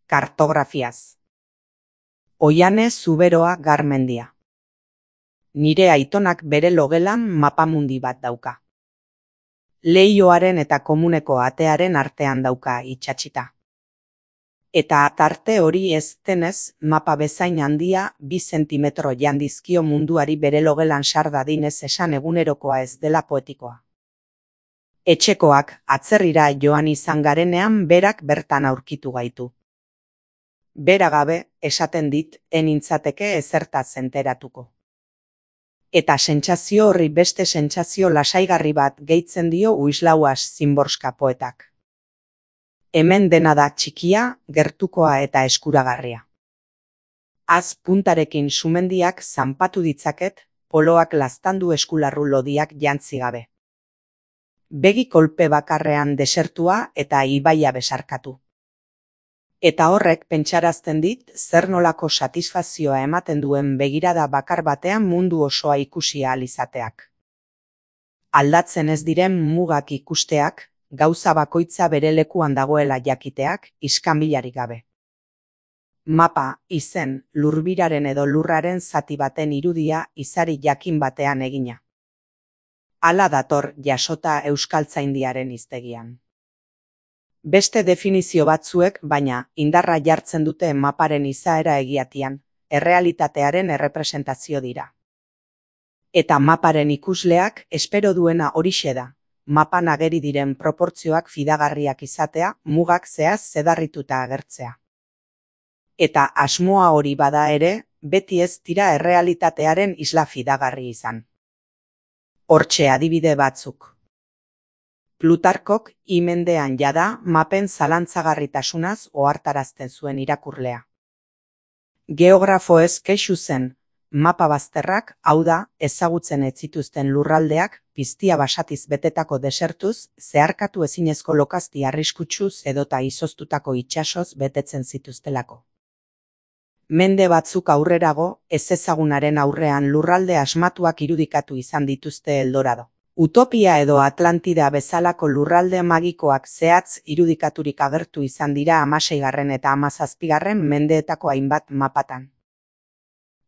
Kartografiaz. Oiane Zuberoa Garmendia. Nire aitonak bere logelan mapamundi bat dauka. Leihoaren eta komuneko atearen artean dauka itsatsita. Eta atarte hori ez denez, mapa bezain handia 2 zentimetro jandizkio munduari bere logelan sar dadinez esan egunerokoa ez dela poetikoa. Etxekoak atzerrira joan izan garenean berak bertan aurkitu gaitu. Bera gabe, esaten dit, enintzateke ezertaz enteratuko. Eta sentsazio horri beste sentsazio lasaigarri bat gehitzen dio Uislauas Szymborska poetak. Hemen dena da txikia, gertukoa eta eskuragarria. Az puntarekin sumendiak zanpatu ditzaket, poloak laztandu eskularru lodiak jantzi gabe. Begi kolpe bakarrean desertua eta ibaia besarkatu. Eta horrek pentsarazten dit zer nolako satisfazioa ematen duen begirada bakar batean mundu osoa ikusi ahal izateak. Aldatzen ez diren mugak ikusteak, gauza bakoitza bere lekuan dagoela jakiteak, iskanbilarik gabe. Mapa, izen, lurbiraren edo lurraren zati baten irudia izari jakin batean egina. Hala dator jasota euskaltzaindiaren hiztegian. Beste definizio batzuek, baina, indarra jartzen dute maparen izaera egiatian, errealitatearen errepresentazio dira. Eta maparen ikusleak espero duena horixe da, mapan ageri diren proportzioak fidagarriak izatea, mugak zehaz zedarrituta agertzea. Eta asmoa hori bada ere, beti ez dira errealitatearen isla fidagarri izan. Hortxe adibide batzuk. Plutarkok imendean jada mapen zalantzagarritasunaz ohartarazten zuen irakurlea. Geografoez kexu zen, mapa bazterrak, hau da, ezagutzen ez zituzten lurraldeak, piztia basatiz betetako desertuz, zeharkatu ezinezko lokazti arriskutsuz edota izoztutako itsasoz betetzen zituztelako. Mende batzuk aurrerago, ezezagunaren aurrean lurralde asmatuak irudikatu izan dituzte Eldorado. Utopia edo Atlantida bezalako lurralde magikoak zehatz irudikaturik agertu izan dira 16. eta 17. mendeetako hainbat mapatan.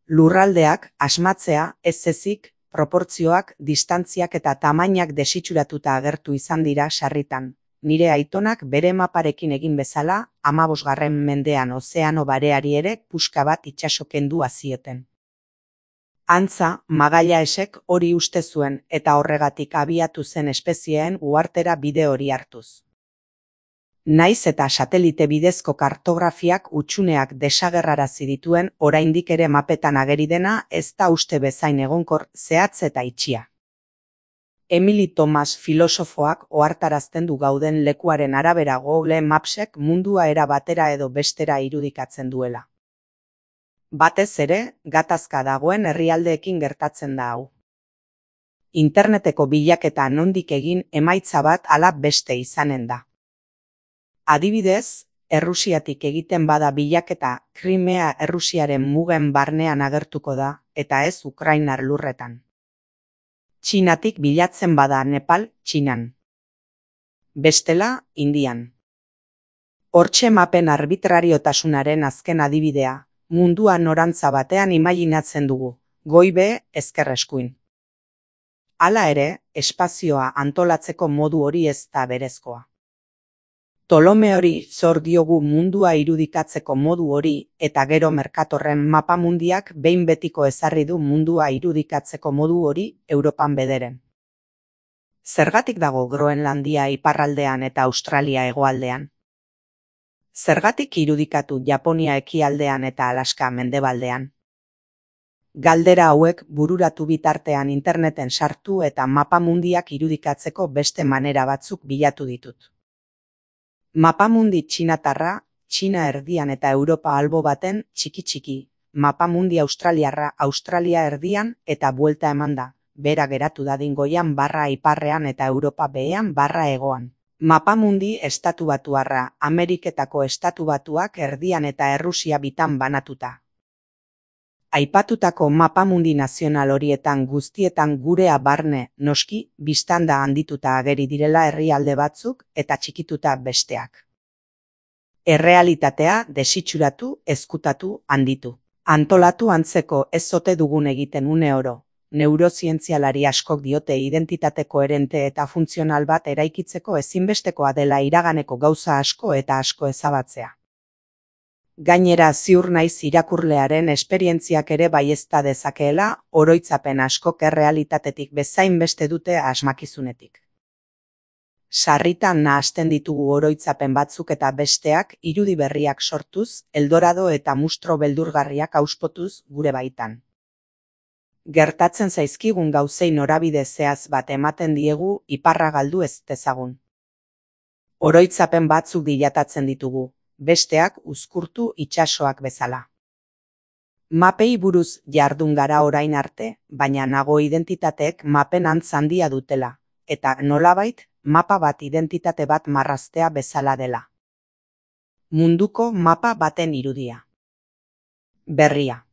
Lurraldeak asmatzea ez ezik, proportzioak, distantziak eta tamainak desitxuratuta agertu izan dira sarritan. Nire aitonak bere maparekin egin bezala, 15. mendean Ozeano Bareari ere puska bat itsaso kendu zioten. Antza, Magalhaesek hori uste zuen eta horregatik abiatu zen espezieen uhartera bide hori hartuz. Naiz eta satelite bidezko kartografiak hutsuneak desagerrarazi dituen oraindik ere mapetan ageri dena ez da uste bezain egonkor, zehatz eta itxia. Emily Thomas filosofoak ohartarazten du gauden lekuaren arabera Google Mapsek mundua era batera edo bestera irudikatzen duela. Batez ere, gatazka dagoen herrialdeekin gertatzen da hau. Interneteko bilaketa nondik egin emaitza bat ala beste izanen da. Adibidez, Errusiatik egiten bada bilaketa Krimea Errusiaren mugen barnean agertuko da, eta ez Ukrainar lurretan. Txinatik bilatzen bada Nepal, Txinan. Bestela, Indian. Hortxe mapen arbitrariotasunaren azken adibidea, mundua norantza batean imaginatzen dugu, goibe ezker eskuin. Hala ere, espazioa antolatzeko modu hori ez da berezkoa. Ptolomeori zor diogu mundua irudikatzeko modu hori eta gero Mercatorren mapamundiak behin betiko ezarri du mundua irudikatzeko modu hori Europan bederen. Zergatik dago Groenlandia iparraldean eta Australia hegoaldean? Zergatik irudikatu Japonia ekialdean eta Alaska mendebaldean? Galdera hauek bururatu bitartean interneten sartu eta mapamundiak irudikatzeko beste manera batzuk bilatu ditut. Mapamundi txinatarra, Txina erdian eta Europa albo baten txiki-txiki, mapamundi australiarra Australia erdian eta buelta eman da, bera geratu dadin goian barra iparrean eta Europa behean barra hegoan. Mapamundi estatubatuarra, Ameriketako estatubatuak erdian eta Errusia bitan banatuta. Aipatutako mapamundi nazional horietan guztietan gurea barne, noski, biztanda handituta ageri direla herrialde batzuk eta txikituta besteak. Errealitatea desitxuratu, ezkutatu, handitu. Antolatu antzeko ez ote dugun egiten une oro. Neurozientzialari askok diote identitate koherente eta funtzional bat eraikitzeko ezinbestekoa dela iraganeko gauza asko eta asko ezabatzea. Gainera ziur naiz irakurlearen esperientziak ere baiezta dezakeela, oroitzapen askok errealitatetik bezain beste dute asmakizunetik. Sarritan nahasten ditugu oroitzapen batzuk eta besteak irudi berriak sortuz, eldorado eta mustro beldurgarriak auspotuz gure baitan. Gertatzen zaizkigun gauzei norabide zehaz bat ematen diegu iparra galdu ez dezagun. Oroitzapen batzuk dilatatzen ditugu, besteak uzkurtu itsasoak bezala. Mapei buruz jardun gara orain arte, baina nago identitateek mapen antz handia dutela, eta nolabait, mapa bat identitate bat marraztea bezala dela. Munduko mapa baten irudia. Berria.